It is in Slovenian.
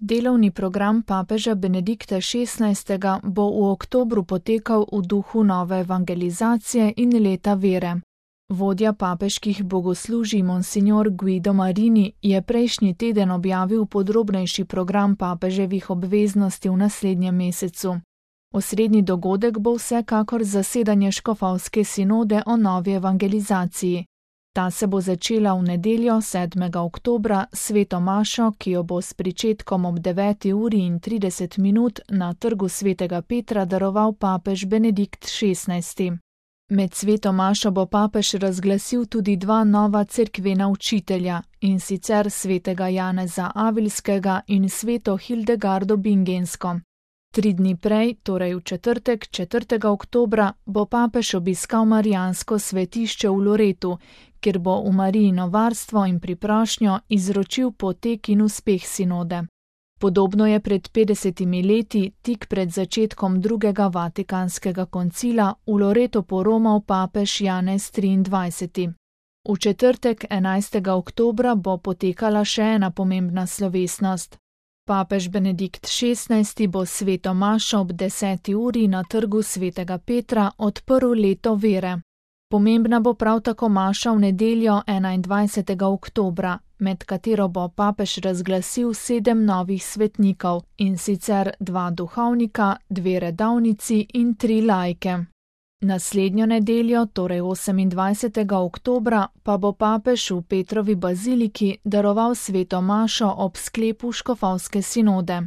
Delovni program papeža Benedikta XVI. Bo v oktobru potekal v duhu nove evangelizacije in leta vere. Vodja papeških bogoslužij monsignor Guido Marini je prejšnji teden objavil podrobnejši program papeževih obveznosti v naslednjem mesecu. Osrednji dogodek bo vsekakor zasedanje škofovske sinode o novi evangelizaciji. Ta se bo začela v nedeljo 7. oktobra sveto mašo, ki jo bo s pričetkom ob 9:30 na trgu svetega Petra daroval papež Benedikt XVI. Med sveto mašo bo papež razglasil tudi dva nova cerkvena učitelja, in sicer svetega Janeza Avilskega in sveto Hildegardo Bingensko. 3 dni prej, torej v četrtek, 4. oktobra, bo papež obiskal marijansko svetišče v Loretu, kjer bo v Marijino varstvo in priprošnjo izročil potek in uspeh sinode. Podobno je pred 50 leti, tik pred začetkom drugega vatikanskega koncila, v Loreto poromal papež Janez XXIII. V četrtek, 11. oktobra, bo potekala še ena pomembna slovesnost. Papež Benedikt XVI. Bo sveto mašo ob 10. uri na trgu svetega Petra odprl leto vere. Pomembna bo prav tako maša v nedeljo 21. oktobra, med katero bo papež razglasil 7 novih svetnikov, in sicer 2 duhovnika, 2 redovnici in 3 laike. Naslednjo nedeljo, torej 28. oktobra, pa bo papež v Petrovi baziliki daroval sveto mašo ob sklepu škofovske sinode.